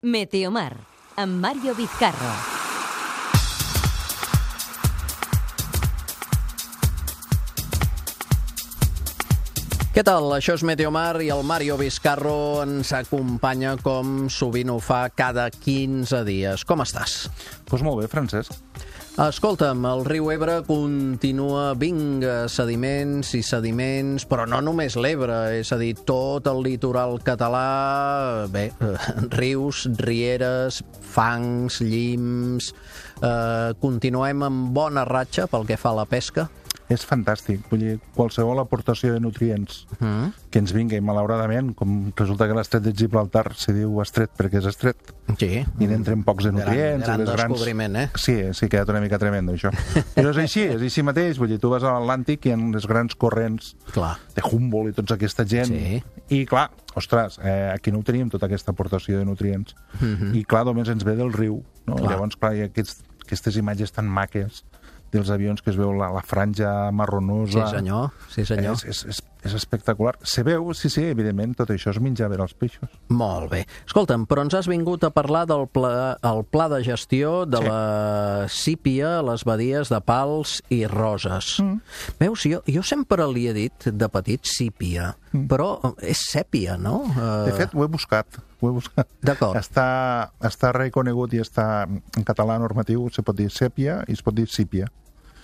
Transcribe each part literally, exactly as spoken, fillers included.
Meteomar, amb Mario Vizcarro. Què tal? Això és Meteomar i el Mario Vizcarro ens acompanya com sovint ho fa cada quinze dies. Com estàs? Doncs pues molt bé, Francesc. Escolta'm, el riu Ebre continua, vinga, sediments i sediments, però no només l'Ebre, és a dir, tot el litoral català, bé, rius, rieres, fangs, llims, eh, continuem amb bona ratxa pel que fa a la pesca. És fantàstic, vull dir, qualsevol aportació de nutrients mm. que ens vingui, malauradament, com resulta que l'estret de Gibraltar se diu estret perquè és estret, sí. i n'entren pocs de nutrients. Gran, gran descobriment, grans... eh? Sí, sí, ha quedat una mica tremendo, això. Però és així, és així mateix, vull dir, tu vas a l'Atlàntic i en les grans corrents clar. de Humboldt i tota aquesta gent, sí. i clar, ostres, eh, aquí no ho teníem, tota aquesta aportació de nutrients, mm-hmm. i clar, només ens ve del riu, no? Clar. Llavors, clar, hi ha aquests, aquestes imatges tan maques dels avions que es veu la, la franja marronosa. Sí, senyor. Sí, senyor. És, és, és, és espectacular. Se veu, sí, sí, evidentment, tot això és menjar per als peixos. Molt bé. Escolta'm, però ens has vingut a parlar del pla, el pla de gestió de sí. la sípia, les badies de Pals i Roses. Mm. Veus, jo, jo sempre li he dit de petit sípia, mm. però és sèpia, no? De fet, ho he buscat. Ho he buscat. D'acord. Està, està reconegut i està en català normatiu, se pot dir sèpia i es pot dir sípia.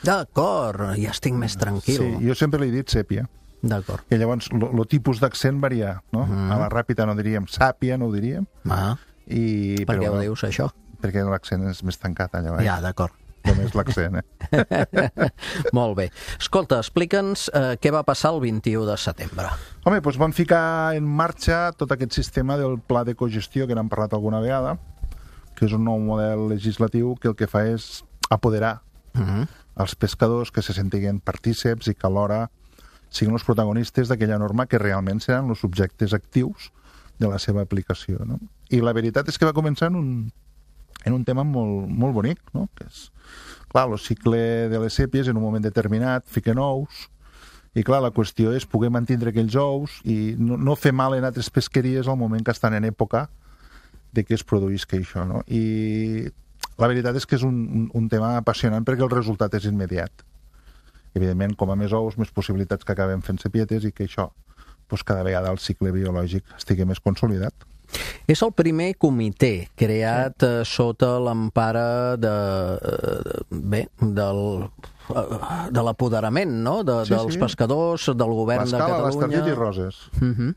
D'acord, ja estic més tranquil. Sí, jo sempre li he dit sèpia. D'acord. I llavors, el tipus d'accent varia, no? Mm. A la ràpida no diríem sàpia, no ho diríem. Ah. I, per què però, ho dius, això? Perquè l'accent és més tancat allà baix. Ja, d'acord. Només l'accent, eh? Molt bé. Escolta, explica'ns eh, què va passar el vint-i-u de setembre. Home, doncs vam ficar en marxa tot aquest sistema del pla de cogestió que n'hem parlat alguna vegada, que és un nou model legislatiu que el que fa és apoderar mm-hmm. els pescadors que se sentiguen partíceps i que alhora siguin els protagonistes d'aquella norma que realment seran els subjectes actius de la seva aplicació, no? I la veritat és que va començar en un, en un tema molt, molt bonic, no? Que és, clar, el cicle de les sèpies en un moment determinat fiquen ous i, clar, la qüestió és poder mantindre aquells ous i no, no fer mal en altres pesqueries al moment que estan en època de que es produïsca això, no? I la veritat és que és un, un, un tema apassionant perquè el resultat és immediat. Evidentment, com a més ous, més possibilitats que acabem fent sepietes i que això, doncs, cada vegada el cicle biològic estigui més consolidat. És el primer comitè creat sí. eh, sota l'empara de, eh, bé, del, eh, de l'apoderament, no? De, sí, dels sí. pescadors, del govern de Catalunya. L'escala, l'Estartit i Roses. Uh-huh.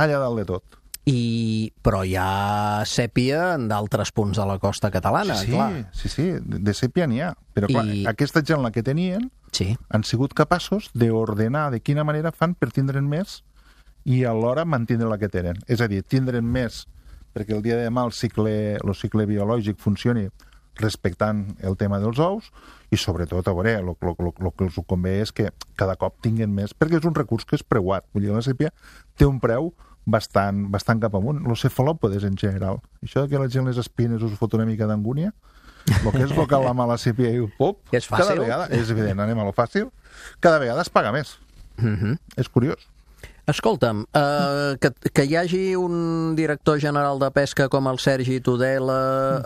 Allà dalt de tot. I, però hi ha sèpia en d'altres punts de la costa catalana, sí, sí, clar. Sí, sí, de sèpia n'hi ha. Però, clar, I... aquesta gent la que tenien sí. han sigut capaços d'ordenar de quina manera fan per tindre'n més i alhora mantindre la que tenen. És a dir, tindre'n més perquè el dia de demà el cicle, el cicle biològic funcioni respectant el tema dels ous i, sobretot, a veure, el, el, el, el que els convé és que cada cop tinguin més, perquè és un recurs que és preuat. Vull dir, la sèpia té un preu bastant, bastant cap amunt. Los cefalòpodes, en general. Això que la gent les espines us fot una mica d'angúnia, el que és local la mala sèpia i pop, és fàcil. Cada vegada, és evident, anem a lo fàcil, cada vegada es paga més. Uh-huh. És curiós. Escolta'm, eh, que, que hi hagi un director general de pesca com el Sergi Tudela,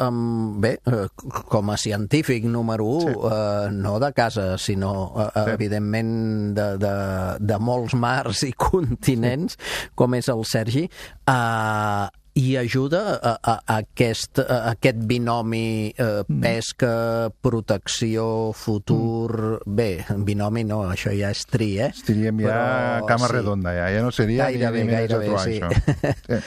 amb, bé, eh, com a científic número u, sí. eh, no de casa, sinó, eh, sí. evidentment, de, de, de molts mars i continents, sí. com és el Sergi, eh, i ajuda a, a, a, aquest, a aquest binomi eh, pesca, protecció, futur... Mm. Bé, binomi no, això ja és tri, eh? Estiríem ja Però, cama sí. redonda, ja. Ja no seria gairebé, ni, ni gairebé, trobar, sí. això. Sí.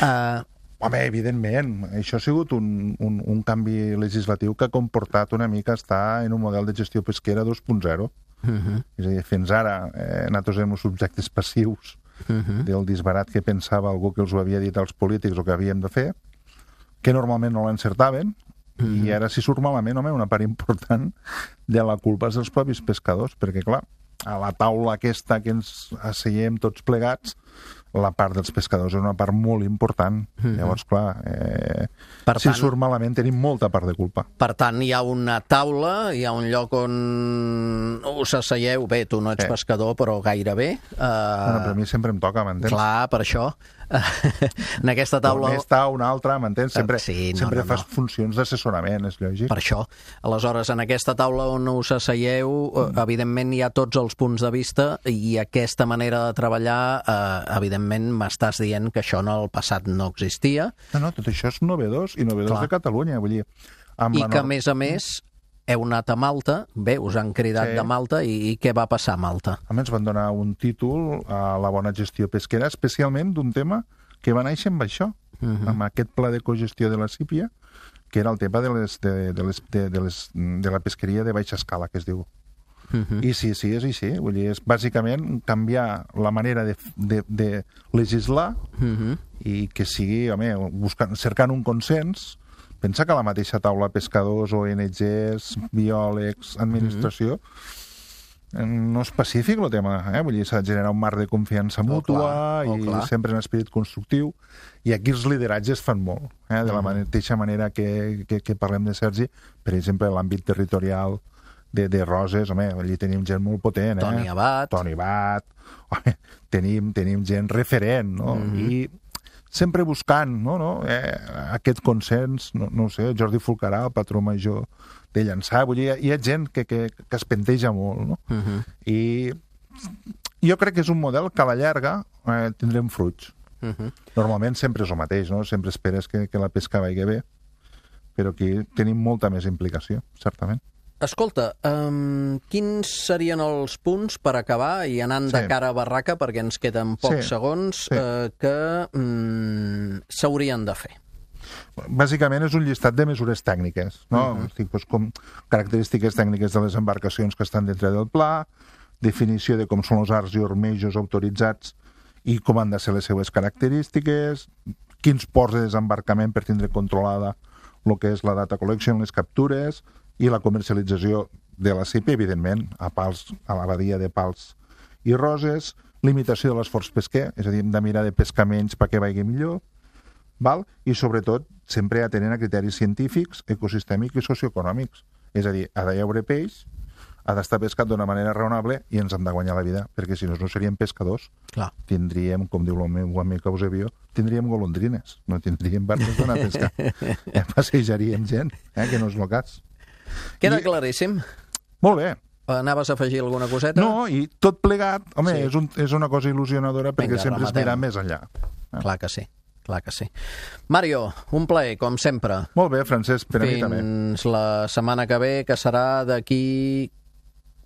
uh, Home, evidentment, això ha sigut un, un, un canvi legislatiu que ha comportat una mica estar en un model de gestió pesquera dos punt zero. Uh-huh. És a dir, fins ara eh, nosaltres érem subjectes passius Uh-huh. del disbarat que pensava algú que els ho havia dit als polítics o que havíem de fer, que normalment no l'encertaven, uh-huh. i ara si surt malament, home, una part important de la culpa és dels propis pescadors, perquè clar, a la taula aquesta que ens asseiem tots plegats, la part dels pescadors és una part molt important. Mm-hmm. Llavors, clar, eh, si tant, surt malament tenim molta part de culpa. Per tant, hi ha una taula, hi ha un lloc on us asseieu, bé, tu no ets eh. pescador, però gairebé. Eh... Bueno, però a mi sempre em toca, m'entens? Clar, per això. en aquesta taula... On està una altra, m'entens? Sempre, sí, no, sempre no, fas no. funcions d'assessorament, és lògic. Per això. Aleshores, en aquesta taula on us asseieu, mm. evidentment hi ha tots els punts de vista i aquesta manera de treballar, eh, evidentment m'estàs dient que això en el passat no existia. No, no, tot això és novedós i novedós Clar. de Catalunya, vull dir... Amb I la que, a nor- més a més, heu anat a Malta, bé, us han cridat Sí. de Malta, i, i què va passar a Malta? A més, van donar un títol a la bona gestió pesquera, especialment d'un tema que va néixer amb això, Mhm. amb aquest pla de cogestió de la sípia, que era el tema de, les, de, de, les, de, de, les, de la pesqueria de baixa escala, que es diu. Mhm. I sí, sí, és així. Vull dir, és bàsicament canviar la manera de, de, de legislar Mhm. i que sigui, home, buscant, cercant un consens. Pensa que a la mateixa taula pescadors, O N Ges, biòlegs, administració, mm-hmm. no és pacífic el tema, eh? Vull dir, s'ha de generar un marc de confiança mútua Oh, clar, oh, i clar. sempre en esperit constructiu, i aquí els lideratges fan molt, eh? De la Mhm. mateixa manera que, que, que parlem de Sergi, per exemple, l'àmbit territorial de, de Roses, home, allí tenim gent molt potent, eh? Toni Abat. Toni Abat, home, tenim, tenim gent referent, no? Mhm. I sempre buscant no, no, eh, aquest consens, no, no ho sé, Jordi Fulcarà, el patró major de Llançà, vull dir, hi ha gent que, que, que es penteja molt, no? Mhm. I jo crec que és un model que a la llarga eh, tindrem fruits. Mhm. Normalment sempre és el mateix, no? Sempre esperes que, que la pesca vagi bé, però aquí tenim molta més implicació, certament. Escolta, um, quins serien els punts per acabar i anant de Sí. cara a barraca, perquè ens queden pocs Sí. segons, Sí. eh, que mm, s'haurien de fer? Bàsicament és un llistat de mesures tècniques, no? Mhm. Estic, doncs, com característiques tècniques de les embarcacions que estan dintre del pla, definició de com són els arts i ormejos autoritzats i com han de ser les seues característiques, quins ports de desembarcament per tindre controlada el que és la data collection, les captures i la comercialització de la sípia, evidentment, a Pals, a la badia de Pals i Roses, limitació de l'esforç pesquer, és a dir, hem de mirar de pescar menys perquè vagi millor, val? I sobretot sempre atenent a criteris científics, ecosistèmics i socioeconòmics. És a dir, ha d'hi haure peix, ha d'estar pescat d'una manera raonable i ens hem de guanyar la vida, perquè si no, no seríem pescadors. Clar. Tindríem, com diu el meu amic Eusebio, tindríem golondrines, no tindríem barques d'anar a pescar. Ja passejaríem gent, eh, que no és el cas. Queda I- claríssim. Molt bé. Anaves a afegir alguna coseta? No, i tot plegat, home, Sí. és, un, és una cosa il·lusionadora perquè Vinga, sempre es rematem. mirà més enllà. Clar que sí, clar que sí. Mario, un plaer, com sempre. Molt bé, Francesc, per a mi també. Fins la setmana que ve, que serà d'aquí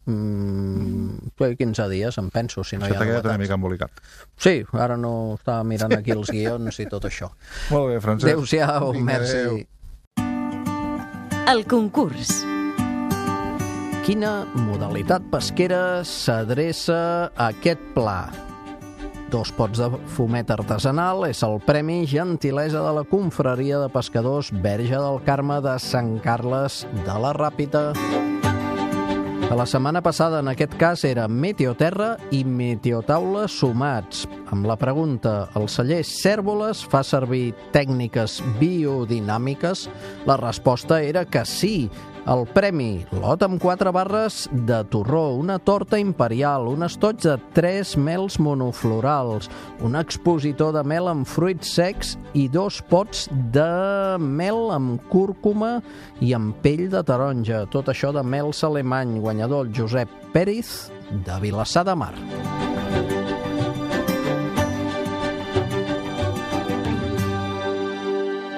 mm, quinze dies, em penso, si no Se hi ha t'ha quedat una novetats. mica embolicat. Sí, ara no estava mirant aquí els guions i tot això. Molt bé, Francesc. Adéu-siau, Vinga, merci. adéu. El concurs. Quina modalitat pesquera s'adreça a aquest pla? Dos pots de fumet artesanal és el Premi Gentilesa de la Confraria de Pescadors Verge del Carme de Sant Carles de la Ràpita. A la setmana passada, en aquest cas, era Meteoterra i Meteotaula sumats. Amb la pregunta, el celler Cèrvoles fa servir tècniques biodinàmiques? La resposta era que sí. El premi, lot amb quatre barres de torró, una torta imperial, un estoig de tres mels monoflorals, un expositor de mel amb fruits secs i dos pots de mel amb cúrcuma i amb pell de taronja. Tot això de mels alemany, guanyador el Josep Pérez de Vilassar de Mar.